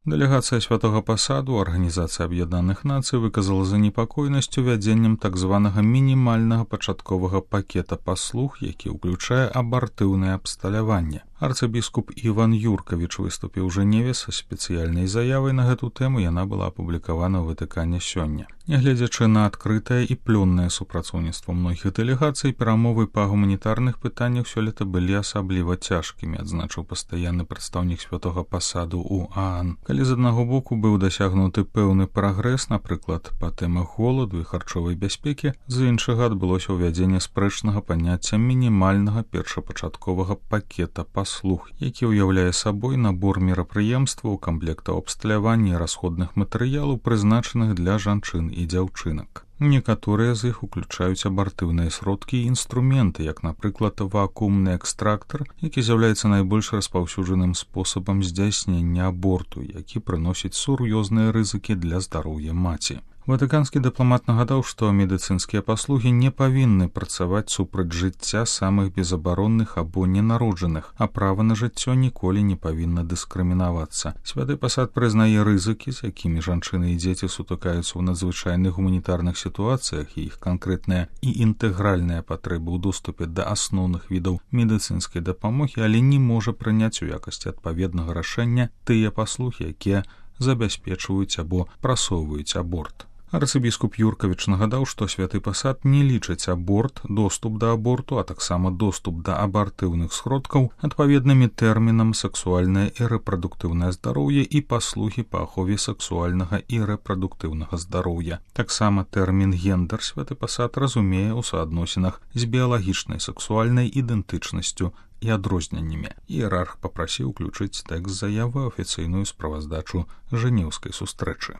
Дэлегацыя святога пасаду Арганізацыі Аб'яднаных Нацый выказала занепакоенасць увядзеннем так званага мінімальнага пачатковага пакета паслуг, які ўключае абартыўнае абсталяванне. Арцыбіскуп Іван Юркавіч выступіў у Жэневе са спецыяльнай заявай на гэту тэму, яна была апублікавана ў Ватыкане сёння. Нягледзячы на адкрытае і плённае супрацоўніцтва многіх дэлегацый, перамовы па гуманітарных пытаннях сёлета былі асабліва цяжкімі, адзначыў пастаянны прадстаўнік святога пасаду ў ААН. Калі з аднаго боку быў дасягнуты пэўны прагрэс, напрыклад, па тэмах голаду і харчовай бяспекі, з іншага адбылося ўвядзенне спрэчнага паняцця мінімальнага першапачатковага пакета паслуг, які ўяўляе сабой набор мерапрыемстваў, камплектаў абсталявання і расходных матэрыялаў, прызначаных для жанчын і дзяўчынак. Некаторыя з іх уключаюць абартыўныя сродкі і інструменты, як, напрыклад, вакуумны экстрактар, які з'яўляецца найбольш распаўсюджаным спосабам здзяйснення аборту, які прыносіць сур'ёзныя рызыкі для здароўя маці. Ватыканскі дыпламат нагадаў, што медыцынскія паслугі не павінны працаваць супраць жыцця самых безабаронных або ненароджаных, а права на жыццё ніколі не павінна дыскрымінавацца. Святы пасад прызнае рызыкі, з якімі жанчыны і дзеці сутыкаюцца ў надзвычайных гуманітарных сітуацыях, і іх канкрэтныя і інтэгральныя патрэбы ў доступе да асноўных відаў медыцынскай дапамогі, але не можа прыняць у якасці адпаведнага рашэння тыя паслугі, якія забяспечваюць або прасоўваюць аборт. Арцыбіскуп Юркавіч нагадаў, што святы пасад не лічыць аборт, доступ да аборту, а таксама доступ да абартыўных сродкаў адпаведнымі тэрмінам сексуальнае і рэпрадуктыўнае здароўе і паслугі па ахове сексуальнага і рэпрадуктыўнага здароўя. Таксама тэрмін гендер святы пасад разумее ў суадносінах з біялагічнай сексуальнай ідэнтычнасцю і адрозненнямі. Іерарх папрасіў уключыць тэкст заявы ў афіцыйную справаздачу жэнеўскай сустрэчы.